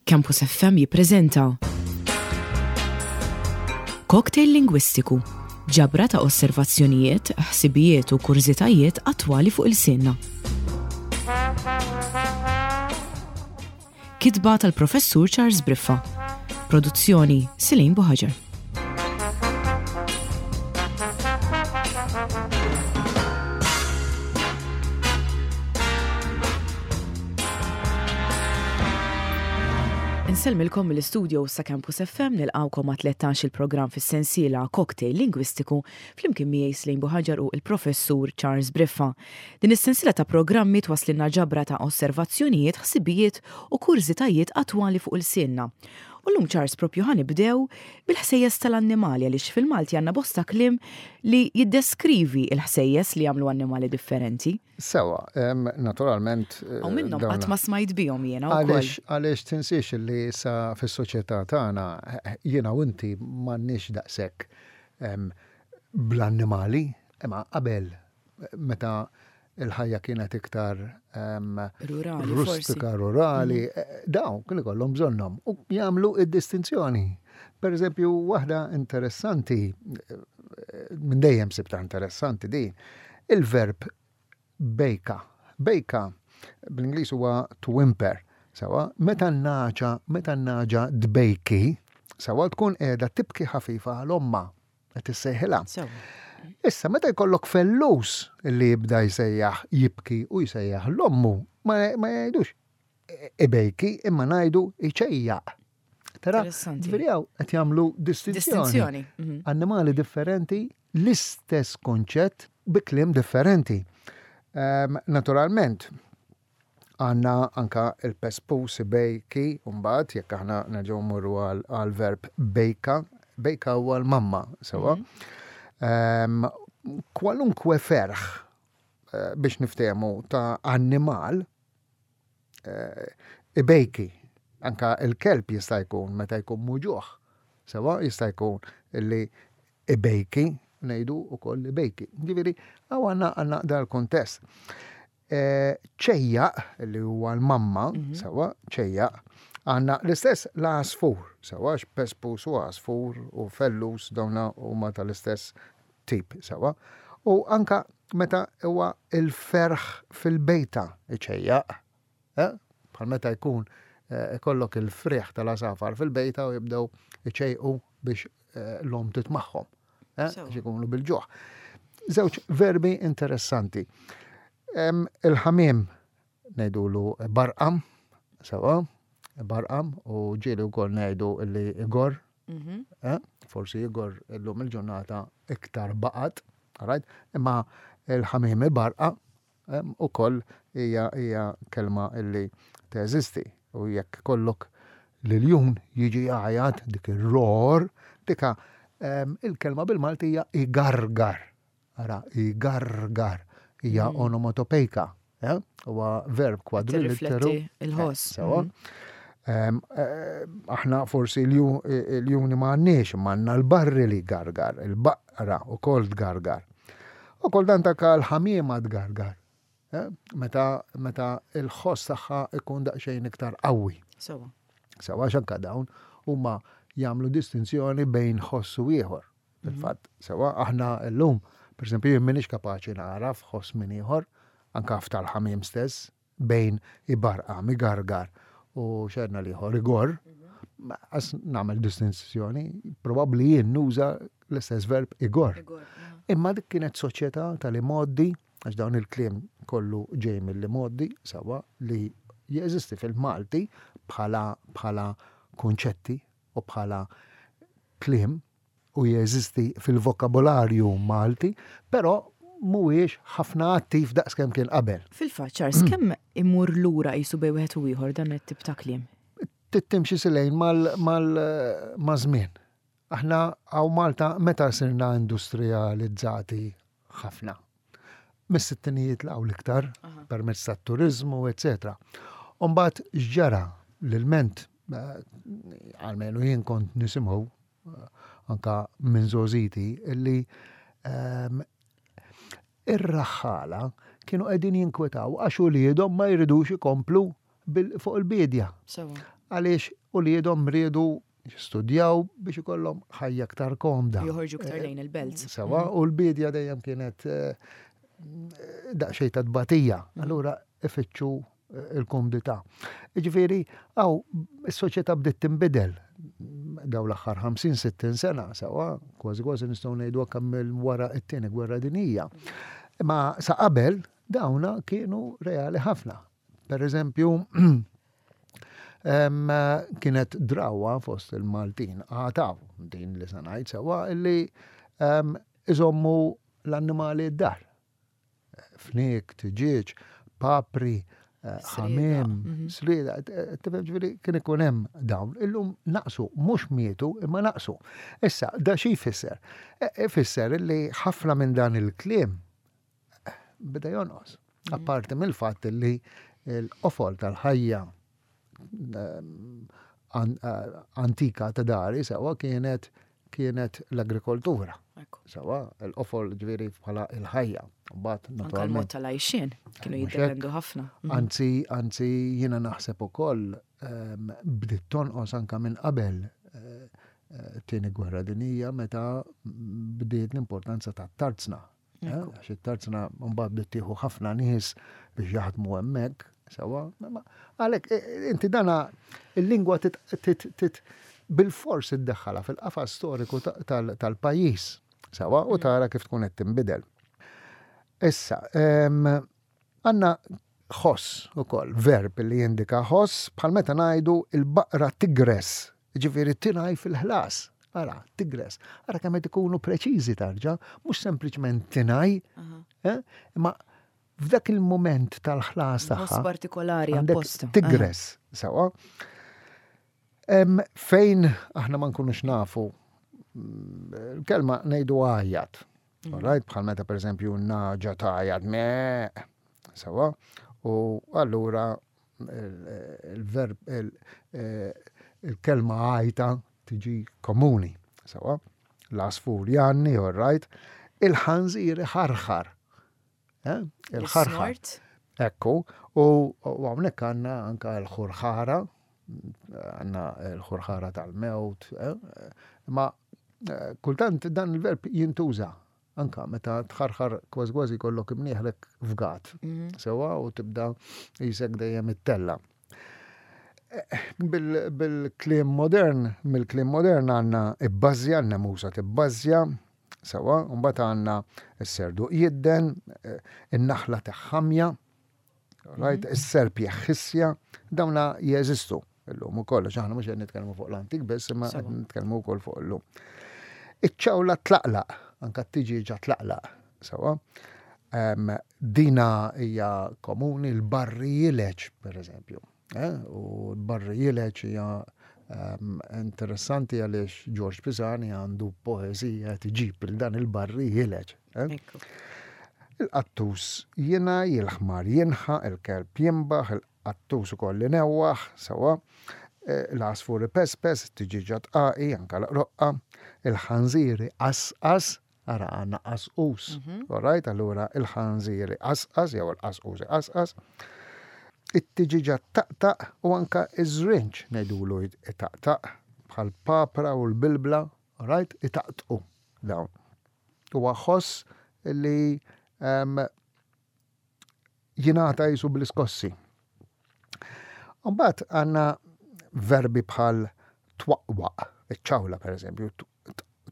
Campus FM jippreżenta Cocktail Lingwistiku, ġabra ta' osservazzjonijiet, ħsibijiet u kurżitajiet attwali fuq ilsienna. Kitba tal-Professur Charles Briffa. Produzzjoni Silin Buħaġar. Insellmilkom mill-istudio sa Campus FM nilqawkom ma' 13 il-programm fis-sensiela Cocktail Lingwistiku flimkien miegħi Slejn Buħaġar u il-Professur Charles Briffa. Din is-sensiela ta' programmi twasslilna ġabra ta' osservazzjonijiet, ħsibijiet u kurżitajiet attwali fuq ilsienna. U llum Charles propju ħa nibdew bil-ħsejjes tal-annimali għaliex fil-Malti għandna bosta kliem li jiddeskrivi l-ħsejjes li jagħmlu annimali differenti. Sewa, naturalment. U minnhom qatt ma smajt bihom jiena wkoll. Għaliex għaliex tinsiex li sa fis-soċjetà tagħna jiena u inti m'għandniex daqshekk bl-annimali, imma qabel meta il-ħajja kienet iktar rurali, rustika, rurali, mhm. eh, dawn kien ikollhom bżonnhom u jagħmlu id-distinzjoni. Per eżempju, waħda interessanti, eh, minn dejjem sibta interessanti din, il-verb bejka. Bejka bl-Ingliż huwa to whimper. Sawa, meta n-naġa, meta n-naġa dbejki, sawa tkun qiegħda tibki ħafifa għal omma. Qed issejħilha. Issa meta jkollok fellus li jibda jsejjaħ jibki u jsejjaħ l-ommu, ma jgħidux ibejki imma ngħidu jċejjaq. Tara, ġifieri qed jagħmlu distinzjoni. Mhm. Annimali differenti, l-istess konċett bi kliem differenti. Ehm, naturalment, Għandna anka il-pespus ibejki mbagħad jekk aħna nerġgħu mmorru għall-verb bejka, bejka huwa l-mamma, sewwa. Mhm. Kwalunkwe ferħ eh, biex niftehmu ta' annimal eh, ibejki. Anka il-kelb jista' jkun meta jkun muġuħ. Sewa jista' jkun li ibejki, ngħidu wkoll ibejki. Ġifieri hawn għandna għandna dal-kuntest. Ċejjaq, li huwa l-mamma, mhm. sewa, ċejjaq, għanna l-istess l-għasfur, sewa, pespus u għasfur u fellus dawna huma tal-istess tip, sewa. U anka meta huwa il-ferħ fil-bejta iċejjaq, eh? bħal meta jkun eh, ikollok il-friħ tal-għasafar fil-bejta u jibdew iċejqu biex eh, l-om titmaħħom. Eh, biex ikunu bil-ġuħ. Żewġ verbi interessanti. Il-ħamiem ngħidulu barqam, sewa, barqam u ġieli wkoll ngħidu li igor, mhm. eh, forsi igor illum il-ġurnata iktar baqat, right? Imma il-ħamiem barqa Ukoll hija hija kelma illi teżisti u jekk ikollok l-iljun jiġi jgħajat dik ir-roar, dika il-kelma bil-Malti hija igargar. Ara, igargar hija mm. onomatopejka. Eh? Huwa verb kwadrilitteru. Il-ħoss. Eh, sewa. Mm. Eh, aħna forsi l-juni ma għandniex, ma għandna l-barri li gargar, il-baqra u kol tgargar. U kultant anke l-ħamiema tgargar. Eh? Meta, meta il-ħoss tagħha ikun daqsxejn iktar qawwi. Sewa. Sewa għax anke dawn huma jagħmlu distinzjoni bejn ħoss u ieħor. Mhm. Fil-fatt, sewa aħna llum, per esempio, jien m'iniex kapaċi nagħraf ħoss minn ieħor, anke f'tal-ħamiem stess, bejn ibarqam, igargar u xerna l-ieħor igorr, għas nagħmel distinzjoni, probabbli jien nuża l-istess verb igorr. Imma dik kienet soċjetà tal-imgħoddi, għax dawn il-kliem kollu ġej mill-imgħoddi, sewwa, li jeżisti fil-Malti bħala bħala kunċetti u bħala kliem u jeżisti fil-vokabolarju Malti, però mhuwiex ħafna attiv daqskemm kien qabel. Fil-fatt, Charles, kemm imur lura qisu bejn wieħed u ieħor dan it-tip ta' kliem? Trid timxi silejn maż-żmien. Aħna hawn Malta meta sirna industrijalizzati ħafna? Mis-sittinijiet 'l hawn l-iktar, permezz tat-turiżmu, eċċetera. U mbagħad x'ġara? L-ilment, almenu jien kont nisimgħu anka minn żgħożiti, illi ehm, ir-raħħala kienu qegħdin jinkwetaw għax uliedhom ma jridux ikomplu fuq il-biedja. Għaliex uliedhom riedu jistudjaw biex ikollhom ħajja aktar komda. Joħorġu aktar lejn il-belt. Sewa, u l-bidja dejjem kienet daqsxejn ta' tbatija. Allura ifittxu il-kumdità. Jiġifieri hawn is-soċjetà bdiet tinbidel dawn l-aħħar 50-60 sena, sewa, kważi kważi nistgħu ngħidu anke mill wara t-tieni gwerra dinjija. Imma sa qabel dawna kienu reali ħafna. Per eżempju, kienet drawa fost il-Maltin, għataw din li se ngħid sewa, illi iżommu l-annimali d-dar. Fniek, tiġieġ, papri, eh, ħamiem, mhm. srieda, eh, tifhem ġifieri kien ikun hemm dawn. Illum naqsu, mhux mietu, imma naqsu. Issa, da xi jfisser? Eh, ifisser li ħafna minn dan il-kliem beda jonqos. Mhm. Apparti mill-fatt li l-qofol tal-ħajja antika ta' dari sewa kienet kienet l-agrikoltura. Sewa, l-qofol ġviri bħala il-ħajja. Mbagħad naturalment. Anke tal-għajxien kienu jiddependu ħafna. Mhm. Anzi, anzi jiena naħseb ukoll ehm, bdiet tonqos anka minn qabel eh, eh, tieni gwerra dinija meta bdiet l-importanza tat-tarzna. Eh, għax it-tarzna mbagħad bdiet tieħu ħafna nies biex jaħdmu hemmhekk, sewa. Għalhekk eh, eh, inti dana il-lingwa bil-fors iddaħħalha fil-qafas storiku tal-pajjiż, sewa, u mm. tara kif tkun qed tinbidel. Issa, għandna ħoss ukoll, verb li jindika ħoss bħal meta ngħidu il-baqra tigres Jiġifieri tingħi fil-ħlas. Ara, tigres. Ara kemm qed ikunu preċiżi tarġa, mhux sempliċement tingħi, eh, imma f'dak il-mument tal-ħlas tagħha. partikolari apposta. Tigres, sewa. Fejn aħna ma nkunux nafu mm, il-kelma ngħidu għajjat. Mm. Right? Bħal meta pereżempju naġa tgħajjat me, sewa. U allura il-verb, il-kelma għajta tiġi komuni. Sawa, l-għasfur janni, all right, il-ħanżir ħarħar. Eh? Il-ħarħar. Ekku, u hawnhekk għandna anka l-ħurħara, għandna l-ħurħara tal-mewt, eh? ma eh, kultant dan il-verb jintuża Anka meta tħarħar kważi kważi jkollok imnieħrek fgat. Mhm. Sewa u tibda jisek dejjem it-tella. Eh, bil-kliem modern, mill-kliem modern għandna ibbażja, n-nemusa tibbażja, sewa, mbagħad għandna s-serdu jidden, eh, in-naħla teħħamja, right, mhm. is-serp jeħħissja, dawna jeżistu illum ukoll, għax aħna mhux qed nitkellmu fuq l-antik biss, imma qed nitkellmu wkoll fuq illum. Iċ-ċawla tlaqlaq, anka t-tiġieġa tlaqlaq, sewa. Dina hija komuni l-barri jileġ, per eżempju. Eh? U l-barri jileġ hija interessanti għaliex George Pisani għandu poeżija tiġib il dan il-barri jileġ. Eh? Il-qattus jingħi, il-ħmar jinħaq, il-kelb jinbaħ, il-qattus ukoll inewwaħ, sewwa, eh, l-għasfur ipespes, it-tiġieġa tqaqi, anka l-qroqqa, il-ħanżir iqasqas, ara għandna qasqus, mhm. all right, allura il-ħanżir iqasqas jew il-qasqus iqasqas, it-tiġieġa taqtaq u anka iż-żrinġ ngħidulu itaqtaq bħal papra u l-bilbla, all right, itaqtqu dawn. Huwa ħoss li jingħata jisu bl-iskossi. Mbagħad għandna verbi bħal twaqwaq, iċ-ċawla per eżempju,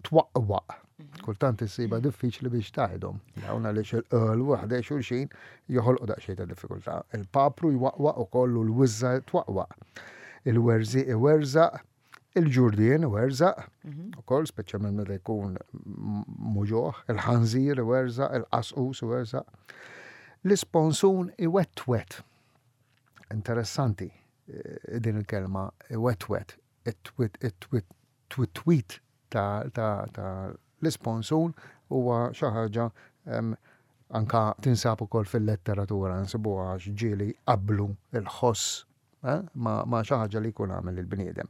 twaqwaq. Mhm. Kultant issiba diffiċli biex taħdom. Dawn għaliex il-qol waħda xulxin joħolqu daqsxejn ta' diffikultà. Il-papru jwaqwaq ukoll u l-wiżża twaqwaq. Il-werżi iwerżaq, Il-ġurdien iwerżaq, mhm. ukoll speċjalment meta jkun muġoħ, il-ħanżir iwerżaq, il-qasqus iwerżaq. L-isponsun iwetwet. Interessanti eh, din il-kelma iwetwet, it-twit ta' l-isponsun huwa xi ħaġa anka tinsab ukoll fil-letteratura nsibuha għax ġieli qablu il-ħoss eh, ma' xi ħaġa li jkun għamel il-bniedem.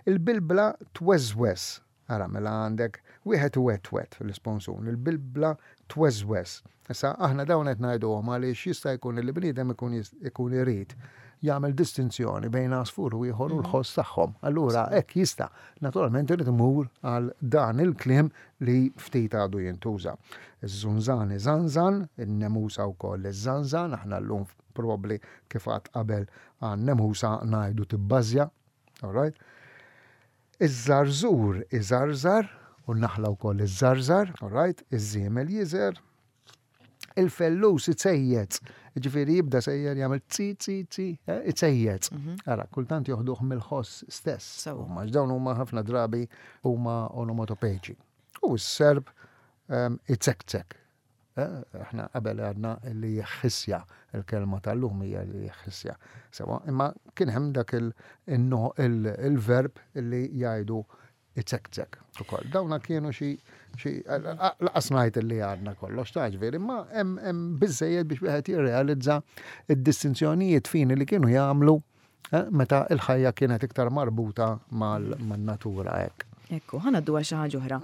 Il-bilbla tweżweż, ara mela għandek wieħed iwetwet l-isponsun, il-bilbla tweżweż. Issa aħna dawn qed ngħiduhom għaliex jista' jkun li bniedem ikun ikun irid jagħmel distinzjoni bejn għasfur u ieħor u l-ħoss tagħhom. Allura hekk jista'. Naturalment irid imur għal dan il-kliem li ftit għadu jintuża. Iż-żunżan iżanżan, in-nemusa wkoll iżżanżan, aħna llum probabbli kif għadt qabel għan-nemusa ngħidu tibbażja. All right? Iż-żarżur iżarżar u n-naħla wkoll iżżarżar, all right? Iż-żiemel jiżer, il-fellus icejjez, ġifieri jibda sejjer jagħmel tzi tzi tzi, eh, icejjez. Ara, kultant joħduh mill-ħoss stess. Huma dawn huma ħafna drabi huma onomatopeċi. U s-serb ehm, icekcek. Eh, aħna qabel għadna li jħissja, il-kelma tal-lum hija li jħissja. Sewa, imma kien hemm dak il-verb li jgħidu icekcek ukoll. Dawna kienu xi laqas ngħid li għadna kollox ta' ġifieri, imma hemm biżejjed biex wieħed jirrealizza d-distinzjonijiet fini li kienu jagħmlu eh, meta l-ħajja kienet iktar marbuta man-natura hekk. Ekku, ħa ngħaddu għal xi ħaġa oħra.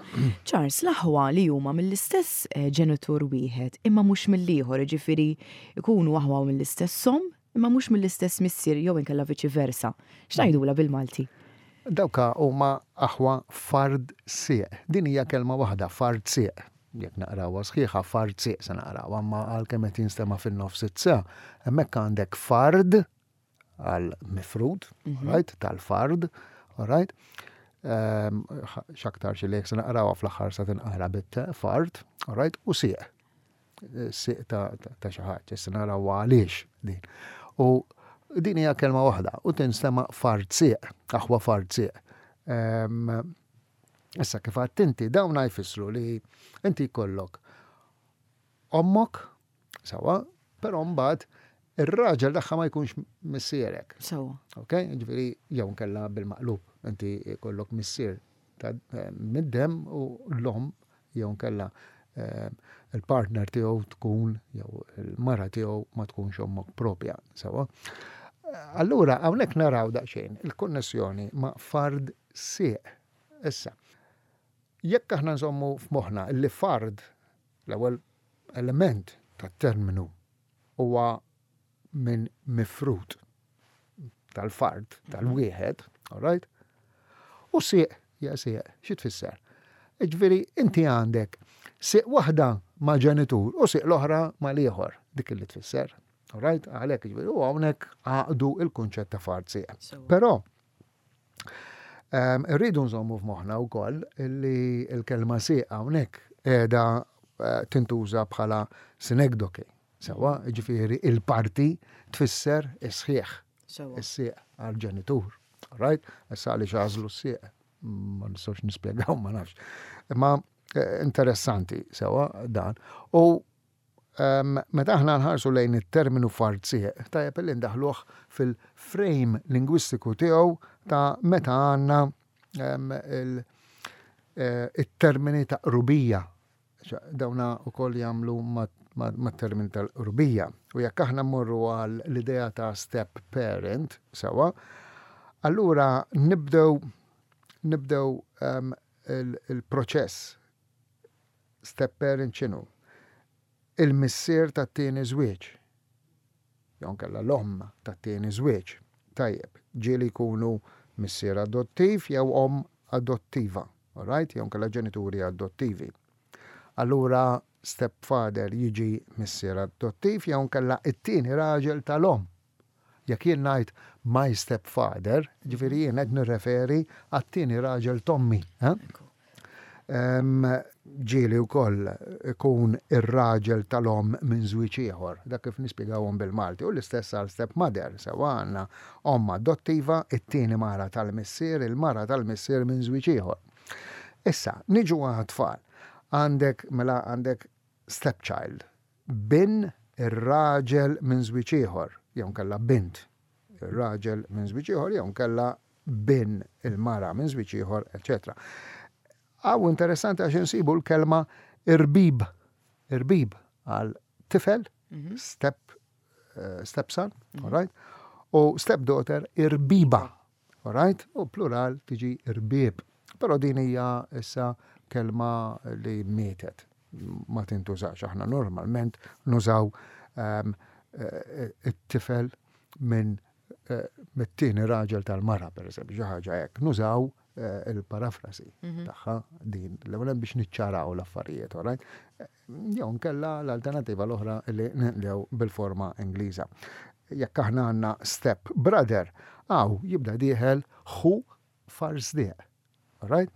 Charles, l-aħwa li huma mill-istess eh, ġenitur wieħed imma mhux mill-ieħor, jiġifieri jkunu aħwa mill-istess omm imma mhux mill-istess missier jew inkella viċi versa. X'ngħidulha bil-Malti? Dawka huma aħwa fard sieq. Din hija kelma waħda, fard sieq. Jekk naqrawha sħiħa, fard sieq se naqrawha, imma għalkemm qed jinstema' fin-nofs it-sa, hemmhekk għandek fard għal mifrud, mhm. right, tal-fard, right? Ehm, x'aktar xi li jekk se naqrawha fl-aħħar sa tinqara bit fard, right, u sieq. Sieq ta' xi ħaġa, issa naraw għaliex din. U din hija kelma waħda u tinstema' fard sieq, aħwa fard sieq. Ehm, issa kif għadt inti dawn jfissru li inti jkollok ommok, sawa, però mbagħad ir-raġel tagħha ma jkunx missierek. Sawa. Ok, ġifieri jew nkella bil-maqlub, inti jkollok missier ta' mid-dem u l-omm jew inkella il-partner tiegħu tkun jew il-mara tiegħu ma tkunx ommok propja, sewa. Allura hawnhekk naraw daqsxejn il-konnessjoni ma' fard sieq. Issa, jekk aħna nżommu f'moħħna li fard l-ewwel element tat-terminu huwa minn mifrud tal-fard, tal-wieħed, all right? U sieq, ja sieq, xi tfisser? Ġifieri inti għandek sieq waħda ma' ġenitur u sieq l-oħra ma' l-ieħor, dik li tfisser. All right? Għalhekk ġifieri u hawnhekk għaqdu il-kunċett ta' fard sieq. Però ehm, irridu nżommu f'moħħna wkoll li l-kelma sieq hawnhekk qiegħda eh, tintuża bħala sinekdoke. Sewwa, jiġifieri il-parti tfisser is-sħiħ. Is-sieq għall-ġenitur. Right? Issa għaliex għażlu s-sieq ma nistgħux nispjegaw ma nafx. Imma eh, interessanti sewwa dan. U ehm, meta aħna nħarsu lejn it-terminu fard sieq, tajjeb li ndaħluh fil-frame lingwistiku tiegħu ta' meta għandna ehm, eh, il-termini ta' qrubija Dawna wkoll jagħmlu mat-termini tal-qrubija. U jekk aħna mmorru għal l-idea ta' step parent, sewwa, allura nibdew nibdew ehm, il-proċess step parent x'inhu? Il-missier tat-tieni żwieġ. Jew inkella l-omm tat-tieni żwieġ. Tajjeb, ġieli jkunu missier adottiv jew omm adottiva. Alright? Jew inkella ġenituri adottivi. Allura stepfather jiġi missier adottiv jew inkella it-tieni raġel tal-omm. Jekk jien ngħid my stepfather, ġifieri jien qed nirreferi għat-tieni raġel t'ommi. Eh? Ġieli wkoll ikun ir-raġel tal-omm minn żwieġ ieħor, dak kif nispjegawhom bil-Malti, u l-istess għal stepmother, sewwa għandna omm adottiva, it-tieni mara tal-missier, il-mara tal-missier minn żwieġ ieħor. Issa, niġu għat-tfal. Għandek, mela għandek stepchild, bin ir-raġel minn żwieġ ieħor, jew inkella bint ir-raġel minn żwieġ ieħor, jew inkella bin il-mara minn żwieġ ieħor, eċċetera. Hawn interessanti għax insibu l-kelma irbib, irbib għal tifel, mhm. step, eh, stepson, mm -hmm. right? U stepdaughter irbiba, all right? U plural tiġi irbib. Però din hija issa kelma li mietet, ma tintużax. Aħna normalment nużaw um, it-tifel minn. mit-tieni raġel tal-mara, per eżempju, xi ħaġa hekk, nużaw il-parafrasi tagħha din l-ewwel biex niċċaraw l-affarijiet, all right? Jew nkella l-alternativa l-oħra li ninqdew bil-forma Ingliża. Jekk aħna għandna step brother, hawn jibda dieħel ħu farsdieq. All right?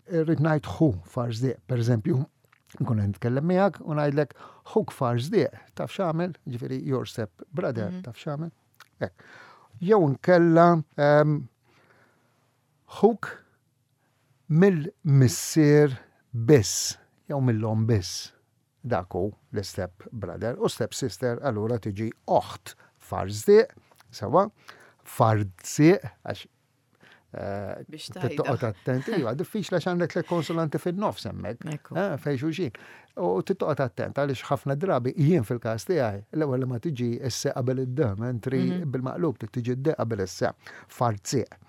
Irrid ngħid ħu farsdieq, per eżempju, nkun qed nitkellem miegħek u ngħidlek ħuk farsdieq, taf x'għamel? Ġifieri your step brother, taf x'għamel? Hekk. Jew nkella ħuk mill-missier biss jew mill-omm biss. Dak hu l-istep brother u step sister allura tiġi oħt farsdieq, sewwa, fardsieq għax Biex tgħidha. Toqgħod attent, iva, diffiċli għax għandek tliet konsonanti fin-nofs hemmhekk. Eh, fejn xulxin. U tittoqgħod attent għaliex ħafna drabi jien fil-każ tiegħi l-ewwel li ma tiġi s-se qabel id-d, mentri bil-maqlub trid tiġi d-d qabel is-se. Fardsieq.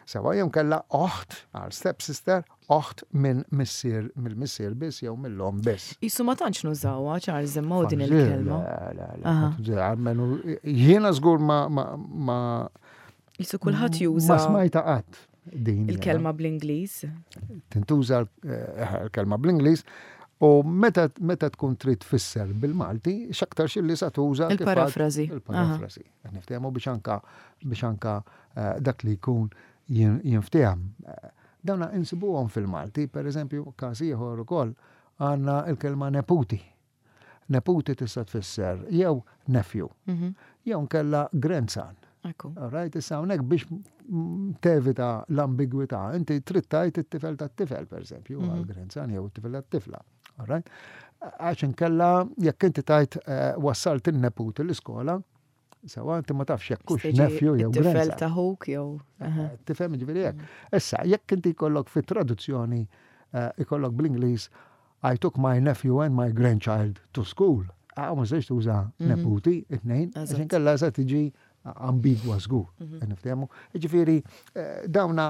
Sewa jew kellha oħt għal step sister, oħt minn missier mill-missier biss jew mill-omm biss. Qisu ma tantx nużawha Charles imma din il-kelma. Le, le, le. Almenu jiena żgur ma ma Qisu kulħadd juża. Ma smajta qatt din. Il-kelma bl-Ingliż. Tintuża l-kelma bl-Ingliż u meta meta tkun trid tfisser bil-Malti, x'aktarx illi sa tuża Il-parafrażi. Il-parafrażi. Qed niftehmu biex anka biex anka dak li jkun jinftiehem. Dawna insibuhom fil-Malti, per eżempju, każ ieħor ukoll għandna l-kelma neputi. Neputi tista' tfisser jew nephew, jew nkella grandson. All right, issa hawnhekk biex tevita l-ambigwità, inti trid tgħid it-tifel tat-tifel, per eżempju, għal grandson jew it-tifel tat-tifla. All right? Għax inkella jekk inti tgħid wassalt in-neputi l-iskola, sewa inti ma tafx jekk hux nephew jew grandson. Tifel ta' ħuk jew. Tifhem ġifieri hekk. Issa, jekk inti jkollok fit-traduzzjoni ikollok bl-Ingliż I took my nephew and my grandchild to school. Ah, ma tistax tuża neputi, it-tnejn, għax inkella se tiġi ambigwa żgur. Niftehmu. Ġifieri dawna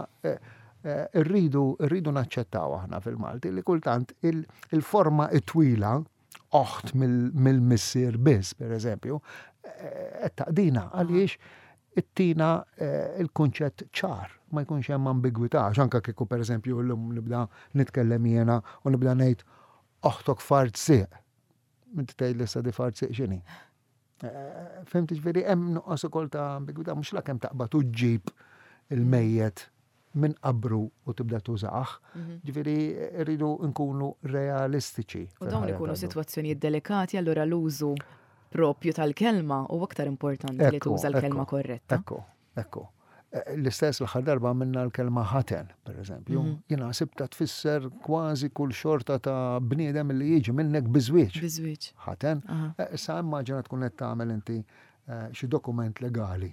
rridu rridu naċċettaw aħna fil-Malti li kultant il-forma it-twila oħt mill-missier biss, per eżempju, qed taqdina għaliex ittina il-kunċett ċar, ma jkunx hemm ambigwità, għax anke kieku per eżempju llum nibda nitkellem jiena u nibda ngħid oħtok fart sieq. Inti tgħid li issa di fart sieq x'inhi? Fhimt ġifieri hemm nuqqas ukoll ta' ambigwità mhux la kemm taqbad u ġġib il-mejjet minn qabru u tibda tużah. Ġifieri rridu nkunu realistiċi. U dawn ikunu sitwazzjonijiet delikati allura l-użu propju tal-kelma u aktar importanti li tuża l-kelma korretta. Ekku, ekku. L-istess l-aħħar darba għamilna l-kelma ħaten, per eżempju. Jiena sibta tfisser kważi kull xorta ta' bniedem li jiġi minnek biżwieġ. Biżwieġ. Ħaten. Issa immaġina tkun qed tagħmel inti xi dokument legali.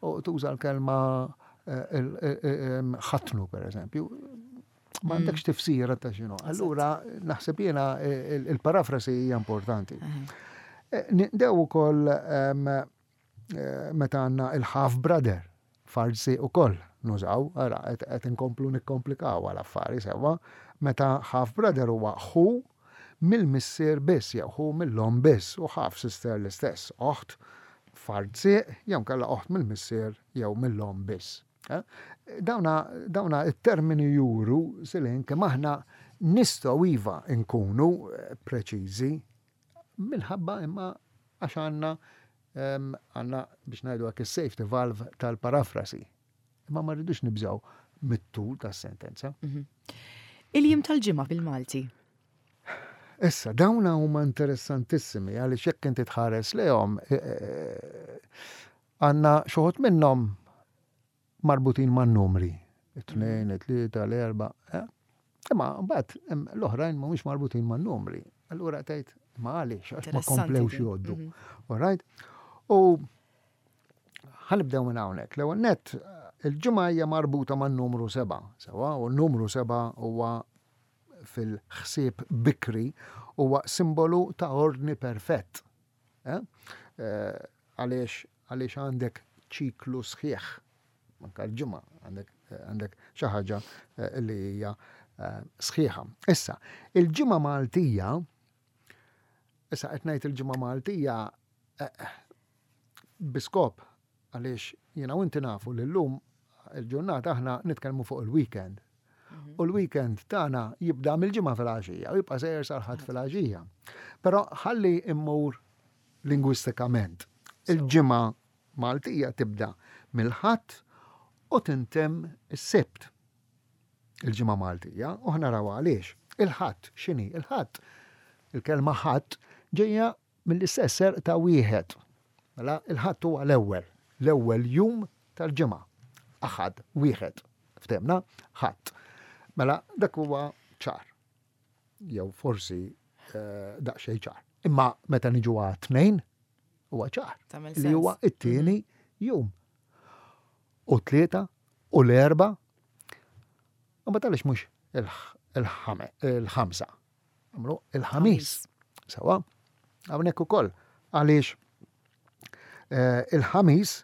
U tuża l-kelma ħatnu, per eżempju. Ma għandekx tifsira ta' x'inhu. Allura naħseb jiena il-parafrasi hija importanti. Nindew ukoll meta għandna il-half brother, farsi ukoll nużaw, ara qed inkomplu nikkomplikaw għal affari sewwa, meta half brother huwa ħu mill-missier biss jew ħu mill-omm biss u half sister l-istess, oħt fard sieq jew inkella oħt mill-missier jew mill-omm biss. Dawna, dawna it-termini juru silin kemm aħna nistgħu iva nkunu preċiżi minħabba imma għax għandna għandna biex ngħidu hekk is-safety valve tal-parafrasi. Imma ma rridux nibżgħu mit-tul tas-sentenza. Il-jiem tal-ġimgħa bil-Malti. Issa, dawna huma interessantissimi għaliex jekk inti tħares lejhom għandna xi wħud minnhom marbutin man-numri. It-tnejn, it-tlieta, l-erba'. Eh? Imma mbagħad l-oħrajn mhumiex marbutin man-numri. Allura tgħid ma għaliex għax ma komplewx jgħoddu. All right? U ħanibdew minn hawnhekk. L-ewwel nett il-ġimgħa hija marbuta man-numru seba', sewa, u n-numru seba' huwa fil-ħsieb bikri huwa simbolu ta' ordni perfett. Eh? Eh, għaliex għaliex għandek ċiklu sħiħ. Anka l-ġimgħa għandek għandek xi ħaġa eh, li hija eh, sħiħa. Issa, il-ġimgħa Maltija, issa qed ngħid il-ġimgħa Maltija eh, biskop. Għaliex jiena u inti nafu li llum il-ġurnata aħna nitkellmu fuq il-weekend. U l-weekend tagħna jibda mill-ġimgħa fil-għaxija u jibqa' sejjer sal-ħadd fil-għaxija. Però ħalli immur lingwistikament. Il-ġimgħa Maltija tibda mill-Ħadd u tintemm is-Sibt. Il-ġimgħa Maltija u ħa naraw għaliex. Il-Ħadd x'inhi? Il-Ħadd il-kelma ħadd ġejja mill-istess serq ta' wieħed. Mela il-Ħadd huwa l-ewwel, l-ewwel jum tal-ġimgħa. Aħad, wieħed. Ftemna? Ħadd. Mela dak huwa ċar. Jew forsi eh, daqsxejn ċar. Imma meta niġu għat-tnejn, huwa ċar. Li huwa it-tieni mhm. jum. U tlieta u l-erba. U ma talix mhux il-ħamsa. Għamlu il-ħamis. Sawa, hawnhekk ukoll għaliex eh, il-ħamis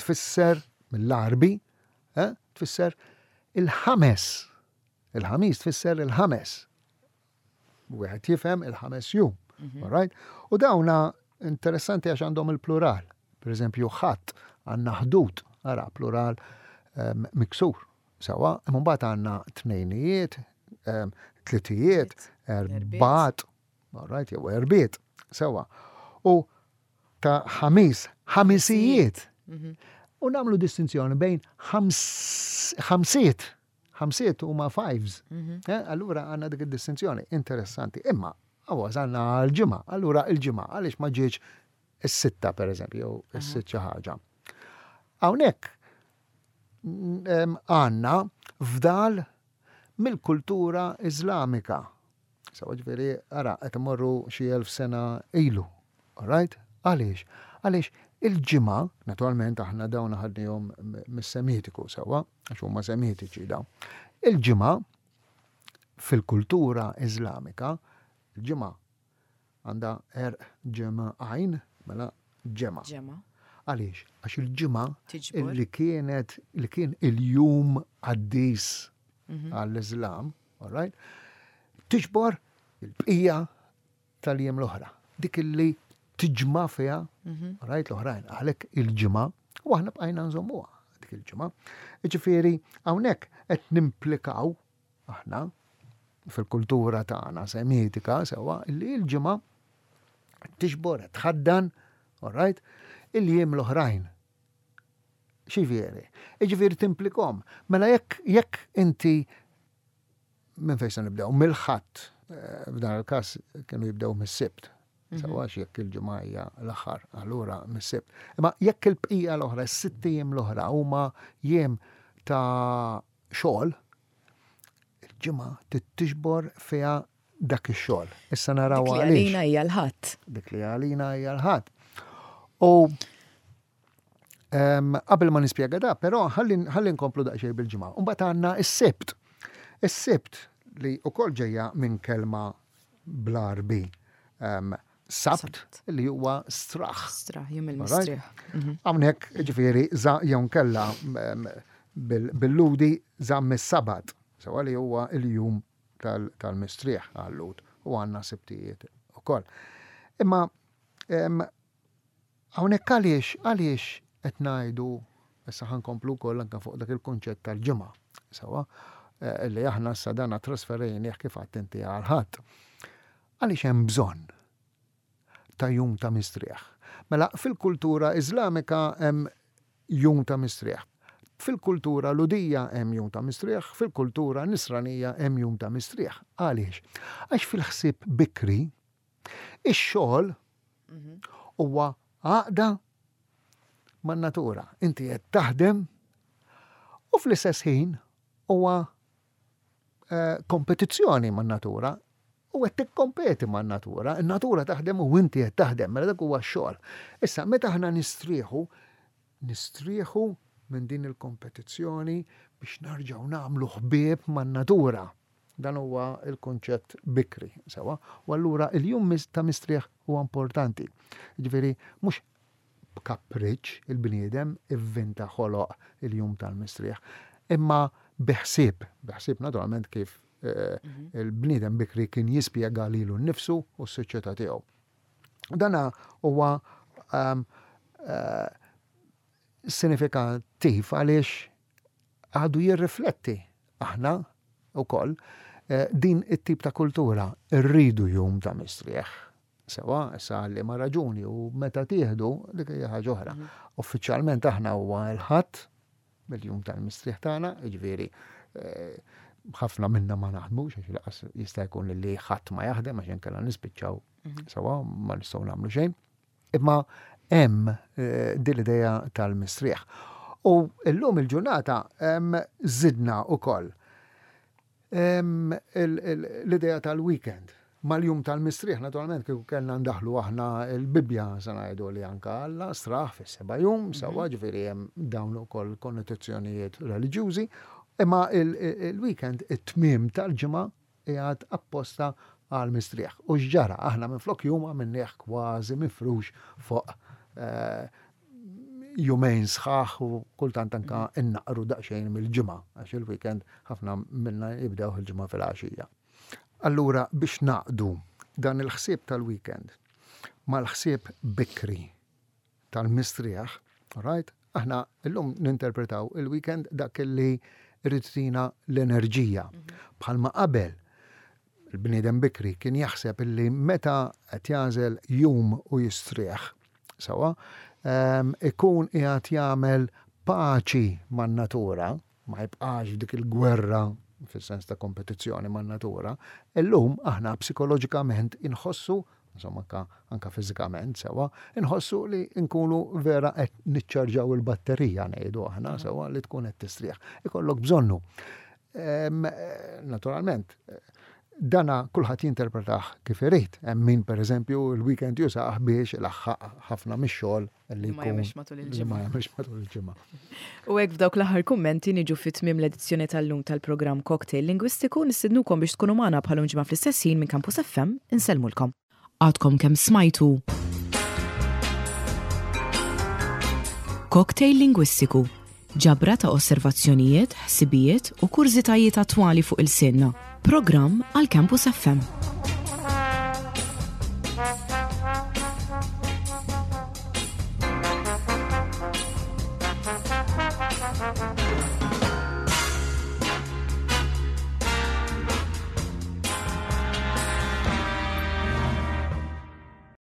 tfisser mill-Arbi, eh, tfisser il-ħames. Il-ħamis tfisser il-ħames. Wieħed jifhem il-ħames jum. Mhm. Right? U dawna interessanti għax għandhom il-plural. Per eżempju, ħadd għandna ħdud, ara plural ehm, miksur. Sawa, imma mbagħad għandna tnejnijiet, ehm, tlitijiet, erbat, right, jew erbiet, sewa. U ta' ħamis, ħamisijiet. Mhm. U nagħmlu distinzjoni bejn ħamsiet, ħamsiet huma fives. Mhm. Eh, allura għandna dik id-distinzjoni interessanti. Imma għażalna għal-ġimgħa, allura il-ġimgħa għaliex ma ġietx is-sitta pereżempju, jew is-sitt xi ħaġa. Hawnhekk għandna fdal mill-kultura Iżlamika. Sewa ġifieri, ara, qed imorru xi elf sena ilu. All right? Għaliex? Għaliex il-ġimgħa, naturalment aħna dawn ħadnihom mis-Semitiku sewwa, għax huma Semitiċi dawn. Il-ġimgħa fil-kultura Iżlamika, il-ġimgħa Għandha għerq ġemgħa għajn, mela ġemgħa. Ġemgħa. Għaliex? Għax il-ġimgħa li kienet li kien il-jum qaddis mhm. għall-Iżlam, all right? Tiġbor il-bqija tal-jiem l-oħra. Dik illi tiġma fiha, mhm. right, l-oħrajn, għalhekk il-ġimgħa, u aħna bqajna nżommuha dik il-ġimgħa. Ġifieri hawnhekk qed nimplikaw aħna fil-kultura tagħna semitika sewwa li l-ġimgħa tixbor tħaddan, all right, il-jiem l-oħrajn. Xivieri? Iġifieri timplikom. Mela jekk jekk inti minn fejn se nibdew? Mill-ħadd, eh, f'dan il-każ kienu jibdew mis-sibt. Mhm. Sewwa jekk il-ġimgħa hija l-aħħar, allura mis-sibt. Imma jekk il-bqija l-oħra, s-sitt jiem l-oħra huma jiem ta' xogħol, il-ġimgħa trid tiġbor fiha dak ix-xogħol. Issa naraw Dik li għaliex. għalina hija l-ħadd. Dik li għalina hija l-ħadd. U qabel ma nispjega da, però ħalli nkomplu daqsxejn bil-ġimgħa. Mbagħad għandna s-Sibt. Is-Sibt li wkoll ġejja minn kelma bl-Għarbi Sabt li huwa straħ. Straħ, jum il-mistrieħ. Mhm. Hawnhekk ġifieri jew nkella bil-ludi żamm is-Sabat, sewa li huwa il-jum tal-mistrieħ għal-Lhud u għandna sibtijiet ukoll. Imma hawnhekk għaliex għaliex qed ngħidu issa ħankomplu wkoll anke fuq dak il-kunċett tal-ġimgħa, sewa eh, li aħna issa dana trasferejnieh kif għadt inti għal ħadd. Għaliex hemm bżonn ta' jum ta' mistrieħ? Mela, fil-kultura Iżlamika hemm jum ta' mistrieħ. Fil-kultura Lhudija hemm jum ta' mistrieħ, fil-kultura Nisranija hemm jum ta' mistrieħ. Għaliex? Għax fil-ħsieb bikri, ix-xogħol huwa għaqda man-natura. Inti qed taħdem u fl-istess ħin huwa eh, kompetizzjoni man-natura u qed tikkompeti man-natura, in-natura taħdem u inti qed taħdem, mela dak huwa x-xogħol. Issa meta aħna nistrieħu, nistrieħu minn din il-kompetizzjoni biex narġgħu nagħmlu ħbieb man-natura. Dan huwa l-kunċett bikri, sewa. U allura il-jum ta' mistrieħ huwa importanti. Ġifieri mhux b'kapriċċ il-bniedem ivvinta ħoloq il-jum tal-mistrieħ, imma bi ħsieb, bi ħsieb naturalment kif eh, mhm. il-bniedem bikri kien jispjega lilu nnifsu u s-soċjetà tiegħu. Dana huwa ehm, eh, sinifikattiv għaliex għadu jirrifletti aħna wkoll eh, din it-tip ta' kultura rridu jum ta' mistrieħ. Sewa, issa li ma raġuni u meta tieħdu dik hija ħaġa oħra. Mhm. Uffiċjalment aħna huwa l-ħadd mill-jum tal-mistrieħ tagħna, jiġifieri eh, ħafna minna ma naħdmux għax laqas jista' jkun li ħadd ma jaħdem għax inkella nispiċċaw mhm. sewa ma nistgħu nagħmlu xejn. Imma hemm eh, din l-idea tal-mistrieħ. U llum il-ġurnata żidna wkoll l-idea tal-weekend. Mal-jum tal-mistrieħ, naturalment, kieku kellna ndaħlu aħna l-Bibbja se ngħidu li anka Alla straħ fis-seba' jum, mhm. sewwa ġifieri hemm dawn ukoll konnotazzjonijiet reliġjużi, imma il-weekend it-tmiem tal-ġimgħa qiegħed apposta għall-mistrieħ. U x'ġara? Aħna minflok jum għamilnieh kważi mifrux fuq eh, jumejn sħaħ u kultant anka innaqru daqsxejn mill-ġimgħa għax il-weekend ħafna minna jibdew il-ġimgħa fil-għaxija. Allura biex naqdu dan il-ħsieb tal-weekend mal-ħsieb bikri tal-mistrieħ, right? Aħna llum ninterpretaw il-weekend dak li rrid tina l-enerġija. Mhm. Bħalma qabel il-bniedem bikri kien jaħseb illi meta qed jagħżel jum u jistrieħ, sewwa, ehm, ikun qiegħed jagħmel paċi man-natura, ma jibqax dik il-gwerra fis-sens ta' kompetizzjoni man-natura, illum aħna psikoloġikament inħossu insomma anka, anka fiżikament sewwa, inħossu li nkunu vera qed niċċarġaw il-batterija ngħidu aħna sewwa li tkun qed tistrieħ. Ikollok bżonnu. Naturalment, dana kulħadd jinterpretah kif irid. Hemm min pereżempju l-weekend jużah biex ilaħħaq ħafna mix-xogħol li ma jagħmilx matul il-ġimgħa. Ma jagħmilx matul il-ġimgħa. U hekk f'dawk l-aħħar kummenti niġu fi tmiem l-edizzjoni tal-lum tal-programm Cocktail Lingwistiku nistidnukom biex tkunu magħna bħal ġimgħa fl-istess ħin minn Campus FM insellmulkom. Għadkom kemm smajtu Cocktail Lingwistiku, ġabra ta' osservazzjonijiet, ħsibijiet u kurżitajiet attwali fuq il-sinna. Programm għal Campus FM.